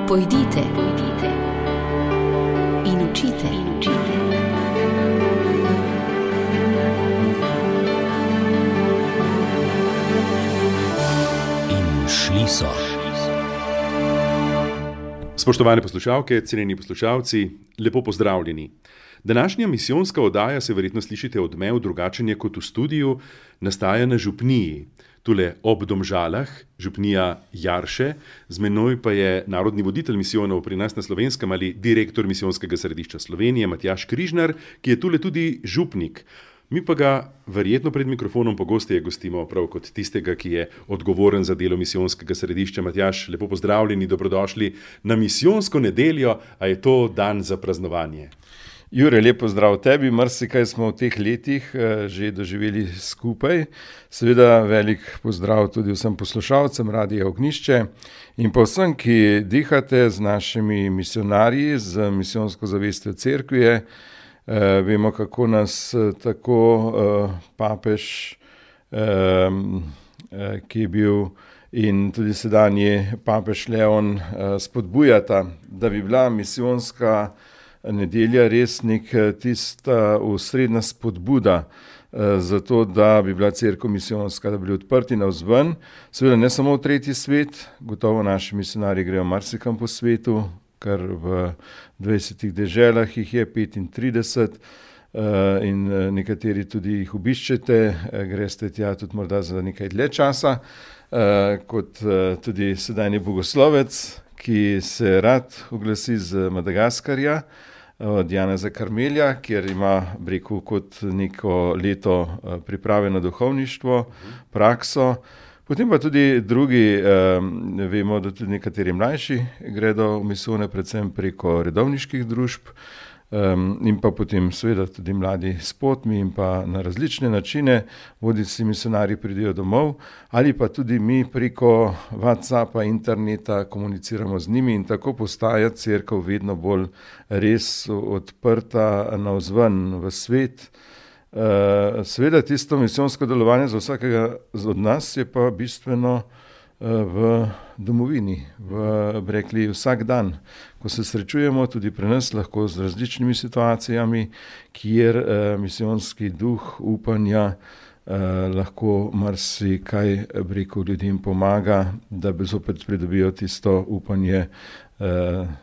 Pojdite in učite. In šli so. Spoštovane poslušalke, cenjeni poslušalci, lepo pozdravljeni. Današnja misijonska oddaja, se verjetno slišite odmev, drugačen je kot v studiu, nastaja na župniji. Tule ob Domžalah, župnija Jarše, z menoj pa je narodni voditelj misijonov pri nas na Slovenskem ali direktor Misijonskega središča Slovenije, Matjaž Križnar, ki je tule tudi župnik. Mi pa ga verjetno pred mikrofonom pogosteje gostimo prav kot tistega, ki je odgovoren za delo Misijonskega središča. Matjaž, lepo pozdravljeni, dobrodošli na misijonsko nedeljo, a je to dan za praznovanje. Jure, lepo zdrav tebi, marsikaj smo v teh letih že doživeli skupaj. Seveda velik pozdrav tudi vsem poslušalcem Radia Ognjišče in pa vsem, ki dihate z našimi misionarji, z misijonsko zavestjo cerkve. Vemo, kako nas tako papež, ki je bil, in tudi sedanji papež Leon spodbujata, da bi bila misijonska nedelja res tista osrednja spodbuda za to, da bi bila cerkev misijonska, da bi bili odprti navzven. Seveda ne samo v tretji svet, gotovo naši misionarji grejo marsikam po svetu, kar v 20 deželah jih je 35 in nekateri tudi jih obiščete, greste tja tudi morda za nekaj dlje časa, kot tudi sedajni bogoslovec, ki se rad oglasi z Madagaskarja, od Janeza Karmelja, kjer ima, rekel, kot neko leto priprave na duhovništvo, prakso. Potem pa tudi drugi, vemo, da tudi nekateri mlajši gredo v misijone, predvsem preko redovniških družb, in pa potem seveda tudi mladi s potmi in pa na različne načine, bodisi misionarji pridejo domov, ali pa tudi mi preko WhatsAppa, interneta komuniciramo z njimi in tako postaja cerkev vedno bolj res odprta navzven v svet. Seveda tisto misijonsko delovanje za vsakega od nas je pa bistveno v domovini, rekli vsak dan, ko se srečujemo tudi pri nas lahko z različnimi situacijami, kjer misijonski duh upanja lahko marsikaj, rekel, ljudem pomaga, da bi zopet pridobijo tisto upanje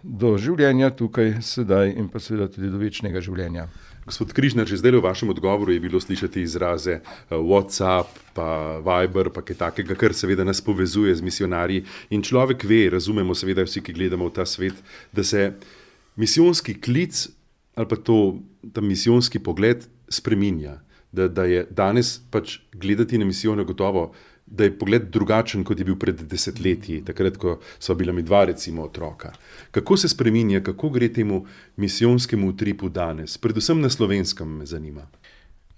do življenja tukaj, sedaj in pa seveda tudi do večnega življenja. Gospod Križnar, že zdaj v vašem odgovoru je bilo slišati izraze WhatsApp, pa Viber, pa kaj takega, kar seveda nas povezuje z misionarji. In človek ve, razumemo seveda vsi, ki gledamo v ta svet, da se misijonski klic ali pa ta misijonski pogled spreminja. Da je danes pač gledati na misijone gotovo, da je pogled drugačen, kot je bil pred desetletji, takrat, ko sva bila mi dva, recimo, otroka. Kako se spreminja, kako gre temu misijonskemu utripu danes? Predvsem na Slovenskem me zanima.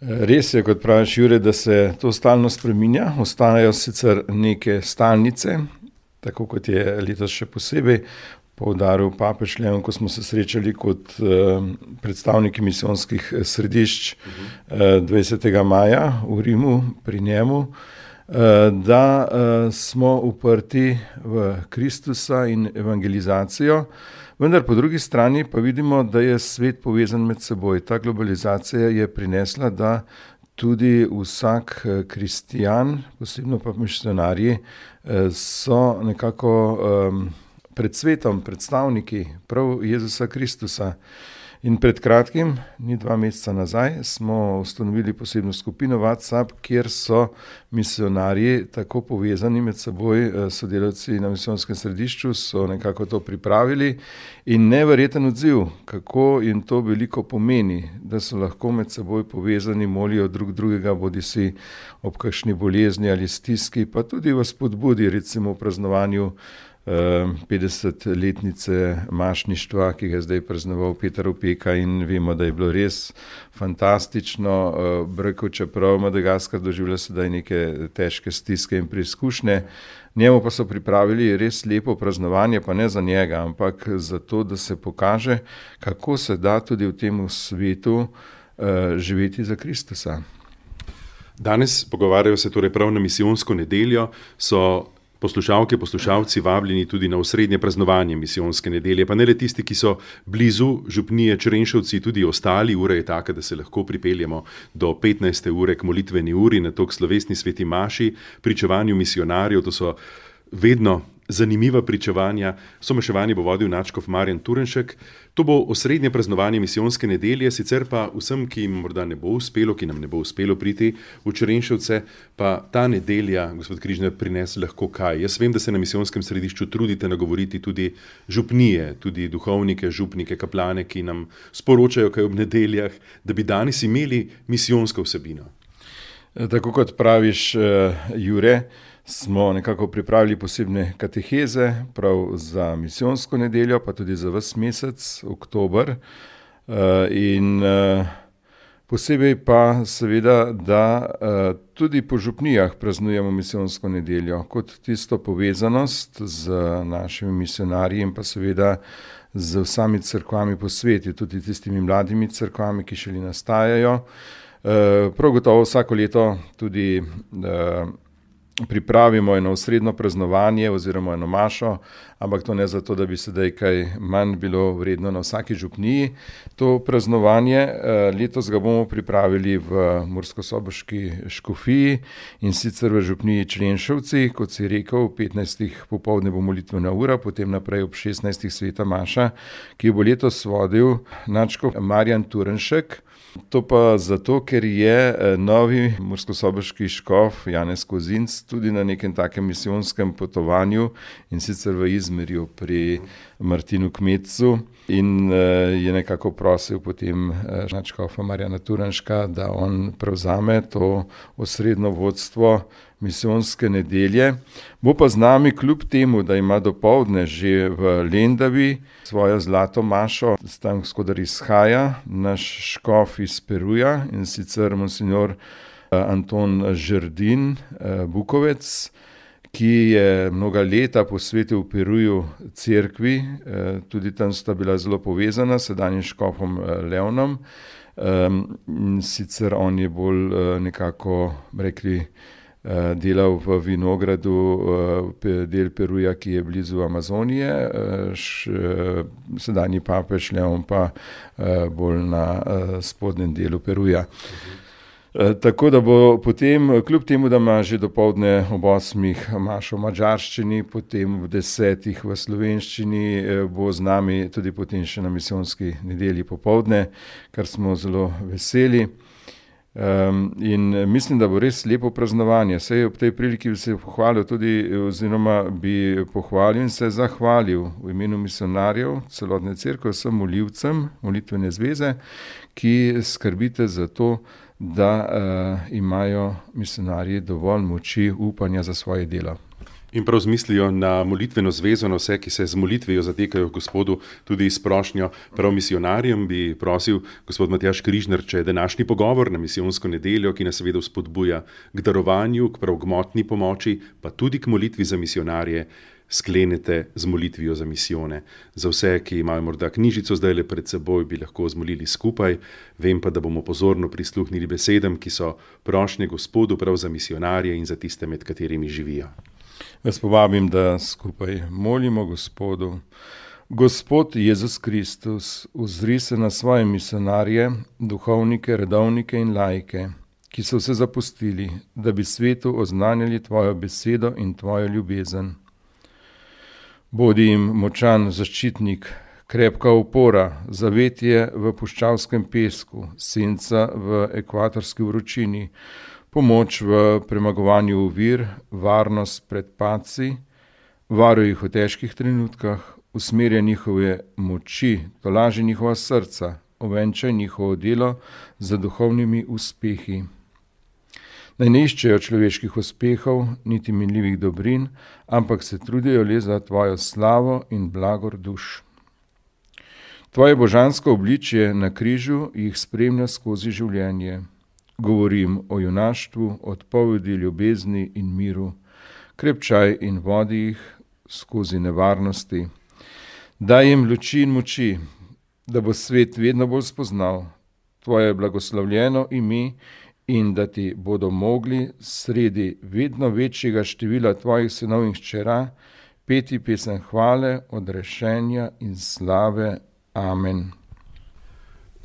Res je, kot praviš, Jure, da se to stalno spreminja. Ostanejo sicer neke stalnice, tako kot je letos še posebej poudaril papež Leon, ko smo se srečali kot predstavniki misijonskih središč 20. maja v Rimu pri njemu, da smo uprti v Kristusa in evangelizacijo, vendar po drugi strani pa vidimo, da je svet povezan med seboj. Ta globalizacija je prinesla, da tudi vsak kristijan, posebno pa misionarji, so nekako pred svetom predstavniki prav Jezusa Kristusa. In pred kratkim, ni 2 meseca nazaj, smo ustanovili posebno skupino WhatsApp, kjer so misionarji tako povezani med seboj, sodelavci na misijonskem središču so nekako to pripravili in neverjeten odziv, kako jim to veliko pomeni, da so lahko med seboj povezani, molijo drug drugega, bodisi ob kakšni bolezni ali stiski, pa tudi v spodbudi, recimo v praznovanju 50-letnice mašništva, ki ga je zdaj praznoval Peter Opeka in vemo, da je bilo res fantastično. Rekel, čeprav Madagaskar doživlja sedaj neke težke stiske in preizkušnje, njemu pa so pripravili res lepo praznovanje, pa ne za njega, ampak za to, da se pokaže, kako se da tudi v tem svetu živeti za Kristusa. Danes pogovarjajo se torej prav na misijonsko nedeljo, so Poslušalke, poslušalci vabljeni tudi na osrednje praznovanje misijonske nedelje, pa ne le tisti, ki so blizu župnije Črenšovci, tudi ostali. Ura je taka, da se lahko pripeljemo do 15. ure k molitveni uri, nato k slovesni sveti maši, pričevanju misionarjev. To so vedno zanimiva pričevanja. Somaševanje bo vodil nadškof Marjan Turnšek. To bo osrednje praznovanje misijonske nedelje, sicer pa vsem, ki jim morda ne bo uspelo, ki nam ne bo uspelo priti v Črenšovce, pa ta nedelja, gospod Križnar, prinese lahko kaj. Jaz vem, da se na misijonskem središču trudite nagovoriti tudi župnije, tudi duhovnike, župnike, kaplane, ki nam sporočajo kaj ob nedeljah, da bi danes imeli misijonsko vsebino. Tako kot praviš, Jure, smo nekako pripravili posebne kateheze prav za misijonsko nedeljo, pa tudi za ves mesec, oktober. In posebej pa seveda, da tudi po župnijah praznujemo misijonsko nedeljo kot tisto povezanost z našimi misionarji in pa seveda z vsemi cerkvami po svetu, tudi tistimi mladimi cerkvami, ki šele nastajajo. Prav gotovo vsako leto tudi pripravimo eno osrednjo praznovanje oziroma eno mašo, ampak to ne zato, da bi sedaj kaj manj bilo vredno na vsaki župniji. To praznovanje, letos ga bomo pripravili v Murskosoboški škofiji in sicer v župniji Črenšovci, kot si rekel, 15. popoldne bo molitvena ura, potem naprej ob 16. sveta maša, ki bo letos vodil nadškof Marjan Turnšek. To pa zato, ker je novi murskosoboški škof Janez Kozinc tudi na nekem takem misijonskem potovanju in sicer v Izmirju pri Martinu Kmetcu in je nekako prosil potem nadškofa Marjana Turnška, da on prevzame to osrednjo vodstvo misijonske nedelje. Bo pa z nami kljub temu, da ima dopoldne že v Lendavi svojo zlato mašo, tam skodar izhaja naš škof iz Peruja in sicer monsignor Anton Žerdin Bukovec, ki je mnoga leta posvetil v Peruju cerkvi, tudi tam sta bila zelo povezana s sedanjim škofom Leonom. Sicer on je bolj nekako rekli delal v vinogradu del Peruja, ki je blizu Amazonije, sedanji papež Leon pa bolj na spodnjem delu Peruja. Tako da bo potem, kljub temu, da ima že dopoldne ob 8 mašo v madžarščini, potem ob 10 v slovenščini, bo z nami tudi potem še na misijonski nedelji popoldne, kar smo zelo veseli. In mislim, da bo res lepo praznovanje. Saj ob tej priliki bi se pohvalil tudi, oziroma bi pohvalil in se zahvalil v imenu misionarjev, celotne cerkve, vsem molivcem, molitvene zveze, ki skrbite za to, da imajo misionarji dovolj moči, upanja za svoje delo. In prav zmislijo na molitveno zvezo, na vse, ki se z molitvijo zatekajo Gospodu, tudi s prošnjo prav misionarjem, bi prosil gospod Matjaž Križnar, če je današnji pogovor na misijonsko nedeljo, ki nas seveda spodbuja k darovanju, k prav gmotni pomoči, pa tudi k molitvi za misionarje, sklenete z molitvijo za misijone. Za vse, ki imajo morda knjižico zdaj le pred seboj, bi lahko zmolili skupaj. Vem pa, da bomo pozorno prisluhnili besedam, ki so prošnje Gospodu prav za misionarje in za tiste, med katerimi živijo. Jaz povabim, da skupaj molimo Gospodu. Gospod Jezus Kristus, uzri se na svoje misionarje, duhovnike, redovnike in laike, ki so se zapustili, da bi svetu oznanjali tvojo besedo in tvojo ljubezen. Bodi jim močan zaščitnik, krepka opora, zavetje v puščavskem pesku, senca v ekvatorski vročini, pomoč v premagovanju ovir, varnost pred padci, varuj jih v težkih trenutkah, usmerja njihove moči, tolaži njihova srca, ovenčaj njihovo delo z duhovnimi uspehi. Naj ne iščejo človeških uspehov, niti minljivih dobrin, ampak se trudijo le za tvojo slavo in blagor duš. Tvoje božansko obličje na križu jih spremlja skozi življenje. Govorim o junaštvu, odpovedi, ljubezni in miru, krepčaj in vodi jih skozi nevarnosti. Daj jim luči in moči, da bo svet vedno bolj spoznal tvoje blagoslovljeno ime in da ti bodo mogli sredi vedno večjega števila tvojih sinov in hčera peti pesem hvale, odrešenja in slave. Amen.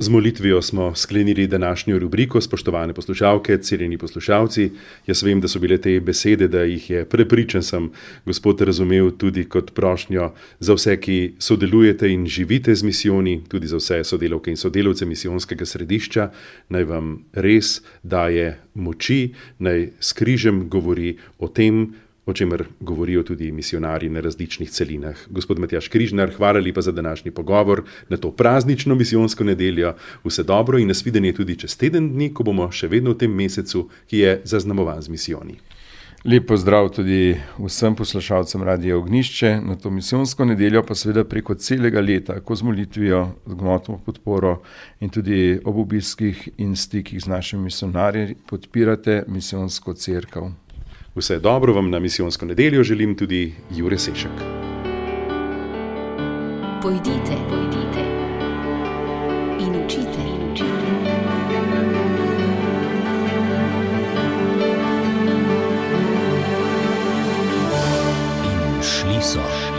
Z molitvijo smo sklenili današnjo rubriko, spoštovane poslušalke, cenjeni poslušalci. Jaz vem, da so bile te besede, da jih je prepričan sem Gospod razumel tudi kot prošnjo za vse, ki sodelujete in živite z misijoni, tudi za vse sodelavke in sodelavce misijonskega središča. Naj vam res daje moči, naj s križem govori o tem, o čemer govorijo tudi misionarji na različnih celinah. Gospod Matjaž Križnar, hvala lepa za današnji pogovor na to praznično misijonsko nedeljo. Vse dobro in nasvidenje tudi čez teden dni, ko bomo še vedno v tem mesecu, ki je zaznamovan z misijoni. Lep pozdrav tudi vsem poslušalcem Radia Ognjišče na to misijonsko nedeljo, pa seveda preko celega leta, ko z molitvijo, z gmotno podporo in tudi ob obiskih in stikih z našimi misionarji podpirate misijonsko cerkev. Vse dobro vam na misijonsko nedeljo želim tudi Jure Sešek. Pojdite in učite. In šli so.